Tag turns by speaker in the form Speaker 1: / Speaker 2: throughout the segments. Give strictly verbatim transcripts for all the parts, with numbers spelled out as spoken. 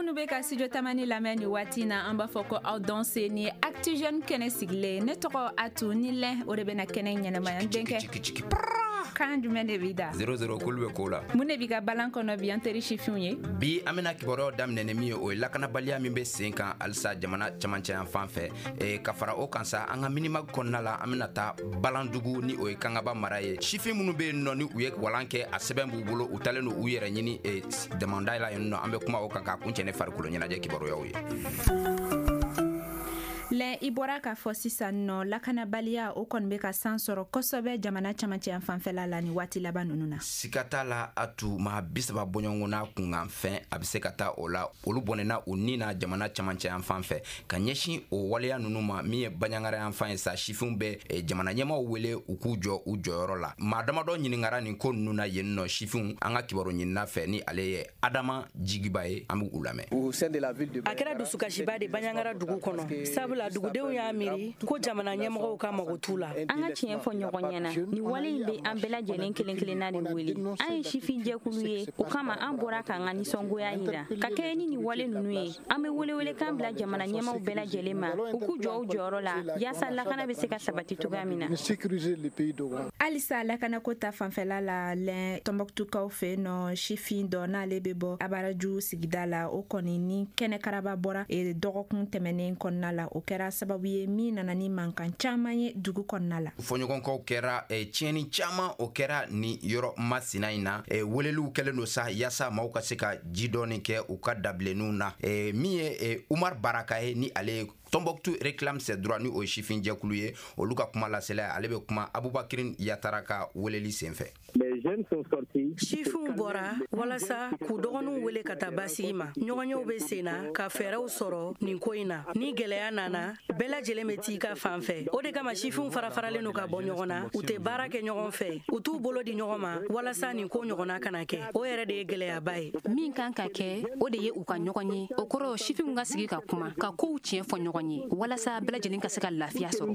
Speaker 1: Minnu bɛ ka Studio Tamani lamɛn nin waati na, an b'a fɔ ko aw danse. Ni Actu Jeune kɛnɛ sigilen, ne tɔgɔ Atu ni lɛn, o de bɛna kɛnɛ ɲɛnɛmaya. N denkɛ, kan jumɛn de b'i da?
Speaker 2: zéro zéro, k'olu bɛ ko la.
Speaker 1: Mun de b'i ka balan kɔnɔ bi, an teri sifinw ye?
Speaker 2: Bi, an bɛna kibaruyaw daminɛ ni min ye, o ye lakanabaliya min bɛ sen kan halisa jamana camancɛ yan fan fɛ. e, ka fara o kan sa, an ka minima kɔnɔna la, an bɛna taa Balandugu, ni o ye Kangaba mara ye. Sifin minnu bɛ yen nɔ, ni u ye walan kɛ, a sɛbɛn b'u bolo, u talen don u yɛrɛ ɲini e, damanda la yen nɔ. An bɛ kuma o kan k'a kuncɛ ne farikolo ɲɛnajɛ kibaruyaw ye.
Speaker 1: Lɛn, i bɔra k'a fɔ sisan nɔ, lakanabaliya, o kɔni bɛ ka san sɔrɔ kosɛbɛ jamana camancɛ yan fanfɛla la ni waati laban ninnu na.
Speaker 2: Siga t'a la a tu, maa bi saba bɔɲɔgɔn n'a kunkan fɛn, a bɛ se ka taa o la, olu bɔnɛna u ni na jamana camancɛ yan fan fɛ. Ka ɲɛsin o waleya ninnu ma, min ye Baɲangara yan fan ye sa, sifinw bɛ eh, jamana ɲɛmaw wele u k'u jɔ u jɔyɔrɔ la. Maa damadɔ ɲininkara nin ko ninnu na yen nɔ, sifinw. An ka kibaru ɲinina fɛ, ni ale ye Adama Jigiba ye, an b'u lamɛn.
Speaker 3: A kɛra dusukasiba de Baɲangara dugu kɔnɔ, sabula dugudenw y'a miiri ko jamana ɲɛmɔgɔw ka mago t'u la.
Speaker 4: An ka tiɲɛ fɔ ɲɔgɔn ɲɛna, nin wale in bɛ an bɛɛ lajɛlen kelen kelenna de wele. An ye sifin jɛkulu ye, o kama an bɔra k'an ka nisɔngoya yira ka kɛɲɛ ni nin wale ninnu ye. An bɛ welewelekan bila jamana ɲɛmaw bɛɛ lajɛlen ma, u k'u jɔ u jɔyɔrɔ la yaasa lakana bɛ se ka sabati cogoya min na.
Speaker 1: Halisa lakanako ta fanfɛla la, lɛn, Tɔnbɔkutukaw fɛ yen nɔ, sifin dɔ n'ale bɛ bɔ Abaraju sigida la, o kɔni ni kɛnɛ karaba bɔra e, dɔgɔkun tɛmɛnen kɔnɔna la. O kɛra sababu ye min nana ni mankan caman ye dugu kɔnɔna la.
Speaker 2: Fɔɲɔgɔnkɔw kɛra, eh, tiɲɛni caman o kɛra ni yɔrɔ masina in na. eh, weleliw kɛlen don sa yaasa maaw ka se ka ji dɔɔni kɛ u ka dabilenninw na. eh, min ye eh, Umar Baraka ye, ni ale ye Tombouctou réclame ses droits, ni o ye sifin jɛkulu ye, olu ka kuma lasela, ale bɛ kuma Abubakirin Yatara ka weleli senfɛ.
Speaker 3: Sifinw bɔra walasa k'u dɔgɔninw wele ka taa basigi ma. Ɲɔgɔnyew bɛ sen na ka fɛɛrɛw sɔrɔ nin ko in na. Ni gwɛlɛya nana, bɛɛ lajɛlen bɛ t'i ka fan fɛ. O de kama sifinw fara faralen don ka bɔ ɲɔgɔn na, u tɛ baara kɛ ɲɔgɔn fɛ, u t'u bolo di ɲɔgɔn ma walasa nin ko ɲɔgɔnna kana kɛ. O yɛrɛ de ye gwɛlɛyaba ye.
Speaker 5: Min kan ka kɛ, o de ye u ka ɲɔgɔn ye. O kɔrɔ, sifinw ka sigi ka kuma, ka kow tiɲɛ fɔ ɲɔgɔn ye, walasa bɛɛ lajɛlen ka se ka lafiya sɔrɔ.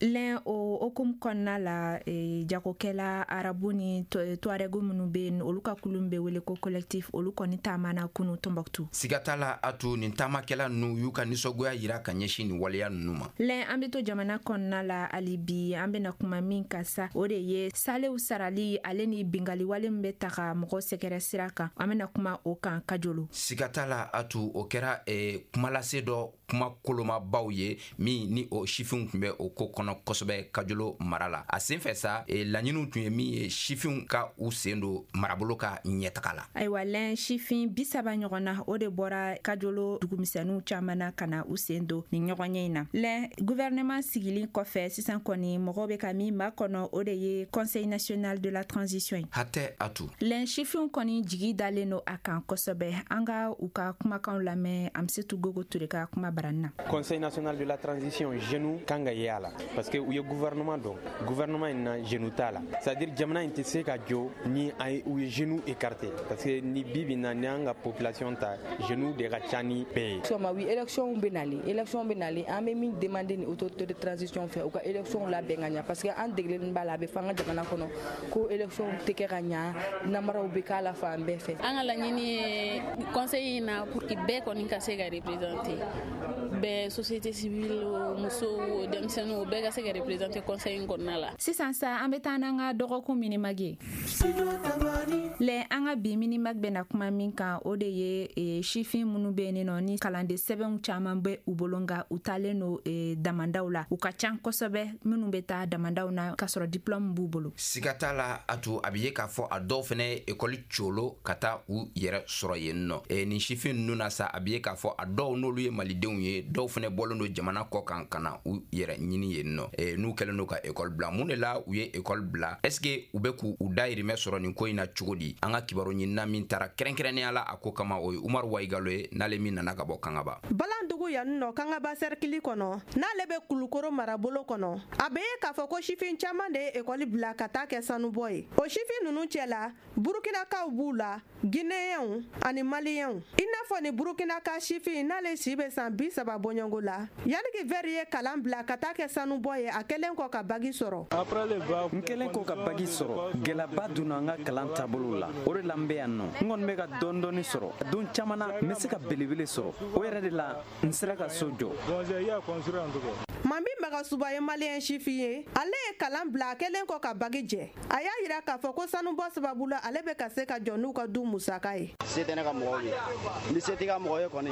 Speaker 1: Lɛn, o hokumu kɔnɔna la, e, jagokɛla arabu ni tuaregu minnu bɛ yen, olu ka kulu bɛ wele ko collectif, olu kɔni taamana kunu Tɔnbɔkutu.
Speaker 2: Siga t'a la a to, nin taamakɛla ninnu y'u ka nisɔngoya yira ka ɲɛsin nin waleya ninnu ma.
Speaker 1: Lɛn, an bɛ to jamana kɔnɔna la hali bi. An bɛna kuma min kan sa, o de ye salew sarali, ale ni bingaliwale min bɛ taga mɔgɔ sɛgɛrɛ sira kan. An bɛna kuma o kan Kajolo.
Speaker 2: Siga t'a la a to, o kɛra eh, kumalase dɔ kuma kolomabaw ye min ni o sifinw tun bɛ o ko kɔnɔ kosɛbɛ Kajolo mara la. A sen fɛ sa, e, laɲiniw tun ye min ye, sifinw ka u sen don marabolo ka ɲɛtaga la.
Speaker 1: Ayiwa lɛn, sifin bi saba ɲɔgɔn na, o de bɔra Kajolo dugumisɛnninw caman na ka na u sen don nin ɲɔgɔnye in na. Lɛn, gouvernement sigili kɔfɛ, sisan kɔni mɔgɔw bɛ ka min makɔnɔ, o de ye Conseil national de la transition ye.
Speaker 2: Hatɛ atu.
Speaker 1: Lɛn, sifinw kɔni jigi dalen don a kan kosɛbɛ. An ka u ka kumakanw lamɛn Amsetu Gogo Ture ka kuma barani na.
Speaker 6: Conseil national de la transition, jeunes kan ka ye a la, parce que u ye gouvernement dɔn. Gouvernement in na, jeunes t'a la, c'est à dire jamana in tɛ se ka jɔ ni u ye jeunes écarté, parce que ni bi bi na, ni an ka population ta, jeunes de ka ca ni bɛɛ ye.
Speaker 7: Sɔma oui, élection bɛ nalen, élection bɛ nalen. An bɛ min demander ni autorité de transition fɛ, u ka élection labɛn ka ɲa, parce que an degelen b'a la, a bɛ fɔ an ka jamana kɔnɔ ko élection tɛ kɛ ka ɲa, namaraw bɛ k'a la fan bɛɛ fɛ.
Speaker 8: An ka laɲini ye conseil in na, pour que bɛɛ kɔni ka se ka représenter, bɛɛ, société civile o, musow o, denmisɛnninw o, bɛɛ ka se ka représenter conseil in kɔnɔna la.
Speaker 1: Sisan sa, an bɛ taa n'an ka dɔgɔkun minimag ye. Lɛ, an ka bi minimag bɛna kuma min kan, o de ye e, sifin minnu bɛ yen nɔ, ni kalanden sɛbɛnw caman bɛ u bolo, nka u taalen don e, damandaw la. U ka ca kosɛbɛ, minnu bɛ taa damandaw na k'a sɔrɔ diplôme b'u bolo.
Speaker 2: Siga t'a la a to, a bɛ ye k'a fɔ a dɔw fɛnɛ ekɔli colo ka taa u yɛrɛ sɔrɔ yen nɔ. e, nin sifin ninnu na sa, a bɛ ye k'a fɔ a dɔw n'olu ye malidenw ye, dɔw fɛnɛ bɔlen don jamana kɔ kan ka na u yɛrɛ ɲini yen nɔ. e, n'u kɛlen don ka ekɔli bila, mun de la u ye ekɔli bila? Est ce que u bɛ k'u dayirimɛ sɔrɔ nin ko in na cogo di? An ka kibaru ɲinina min taara kɛrɛnkɛrɛnnenya la a ko kama, o ye Umaru Wayigalo ye, n'ale min nana ka bɔ Kangaba.
Speaker 9: Balandugu yan nɔ, Kangaba sɛrikili kɔnɔ, n'ale bɛ Kulukoro marabolo kɔnɔ, a bɛ ye k'a fɔ ko sifin caman de ye ekɔli bila ka taa kɛ sanubɔ ye. O sifin ninnu cɛ la, Burukinakaw b'u la, Gineyɛnw ani Maliyɛnw. I n'a fɔ ni Burukinaka sifin, n'ale si bɛ san bi saba bɔɲɔgɔnko la, Yaniki Vɛri ye kalan bila ka taa kɛ sanubɔ ye, a kɛlen kɔ ka bagi sɔrɔ.
Speaker 10: N kɛlen kɔ ka bagi sɔrɔ, gɛlɛyaba donna n ka kalan taabolo la. la. O de la n bɛ yan nɔ. N kɔni bɛ ka dɔɔni dɔɔni sɔrɔ. Don caman na n bɛ se ka belebele sɔrɔ. O yɛrɛ de la n sera ka so jɔ.
Speaker 9: Mami Magasuba ye maliyɛn sifin ye. Ale ye kalan bila a kɛlen kɔ ka bagi jɛ. A y'a yira k'a fɔ ko sanubɔ sababu la ale bɛ ka se ka jɔ n'u ka du musaka ye.
Speaker 11: Se tɛ ne ka mɔgɔw ye. Ni se t'i ka mɔgɔ ye kɔni,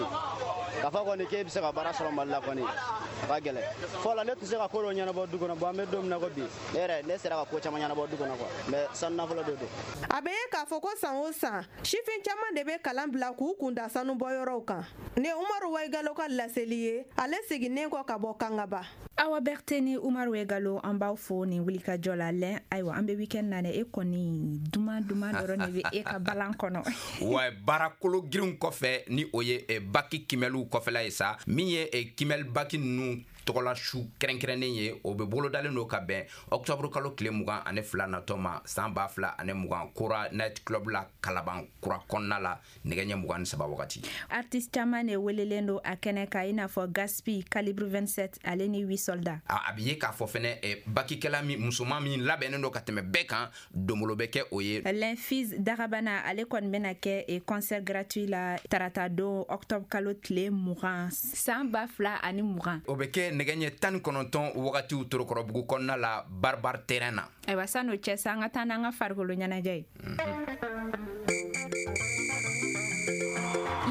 Speaker 11: k'a fɔ kɔni k'e bɛ se ka baara sɔrɔ Mali la kɔni, a ka gɛlɛn. Fɔlɔ ne tun se ka ko dɔ ɲɛnabɔ du kɔnɔ, bon an bɛ don min na ko bi, ne yɛrɛ ne sera ka ko caman ɲɛnabɔ du kɔnɔ quoi, mais sanu nafolo de don.
Speaker 9: A bɛ ye k'a fɔ ko san o san, sifin caman de bɛ kalan bila k'u kun da sanubɔyɔrɔw kan. Nin ye Umaru Wayigalo ka laseli ye, ale seginnen kɔ ka bɔ Kangaba.
Speaker 1: Awa Berthe ni Umaru Wayigalo, an b'aw fo nin wulikajɔ la. Lɛn, ayiwa an bɛ weekend na dɛ, e kɔni duman duman dɔrɔn de bɛ e ka balan kɔnɔ.
Speaker 2: Wa baarakolo girinw kɔfɛ ni o ye baki kimɛliw kɔfɛla ye sa, min ye kimɛli baki ninnu tɔgɔla su kɛrɛnkɛrɛnnen ye, o bɛ bolodalen don ka bɛn octobre kalo tile mugan ani fila natɔ ma san ba fila ani mugan Kora Night Club la Kalaban Kura kɔnɔna la nɛgɛ ɲɛ mugan ni saba wagati.
Speaker 1: Artiste caman de welelen don a kɛnɛ kan, i n'a fɔ Gaspi, Calibre vingt-sept ale ni huit soldats.
Speaker 2: A bɛ ye k'a fɔ fɛnɛ bakikɛla min musoman min labɛnnen don ka tɛmɛ bɛɛ kan, donbolo bɛ kɛ o ye.
Speaker 1: L'Infise Darabana ale kɔni bɛna kɛ concert gratuit la tarata don octobre kalo tile mugan san ba fila ani mugan.
Speaker 2: O bɛ kɛ nɛgɛ ɲɛ tan ni kɔnɔntɔn wagatiw Torokɔrɔbugu kɔnɔna la Barbar terrain na.
Speaker 1: Ayiwa san'o cɛ sa, an ka taa n'an ka farikolo ɲɛnajɛ ye.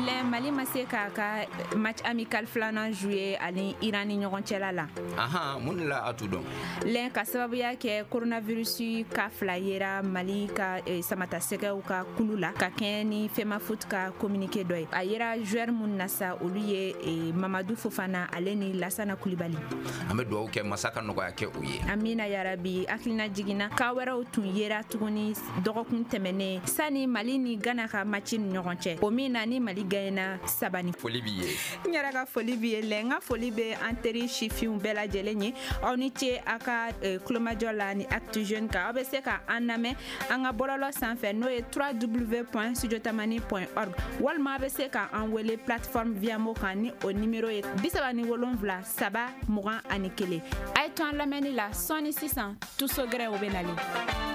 Speaker 1: Lɛ, Mali ma se k'a ka match amical filanan jouer ani Iran ni ɲɔgɔn cɛla la.
Speaker 2: Ahan, mun de la a t'u dɔn?
Speaker 1: Lɛ, ka sababuya kɛ coronavirus ka fila yera Mali ka eh, samatasɛgɛw ka kulu la ka kɛɲɛ ni FEMAFOOT ka communiqué dɔ ye. A yera joueur mun na sa, olu ye eh, Mamadu Fofana ale ni Lasana Kulibali.
Speaker 2: An bɛ dugawu kɛ masa ka nɔgɔya kɛ u ye.
Speaker 1: Amina yarabi. Hakilina jiginna ka wɛrɛw tun yera tuguni dɔgɔkun tɛmɛnen sani Mali ni Ghana ka match ni ɲɔgɔn cɛ, o min na ni Mali gagné saba ni.
Speaker 2: Foli b'i ye.
Speaker 1: N yɛrɛ ka foli b'i ye. Lɛ, n ka foli bɛ an teri sifinw bɛɛ lajɛlen ye. Aw ni ce a ka kulomajɔ la ni Actu Jeunes kan. Aw bɛ se ka an lamɛn an ka bɔlɔlɔ sanfɛ n'o ye w w w point studiotamani point org, walima a bɛ se ka an wele plateforme Viamo kan ni o numéro ye bi saba ni wolonwula saba mugan ani kelen. A ye to an lamɛnni la sɔɔni sisan, Tuso Gɛrɛ o bɛ nalen.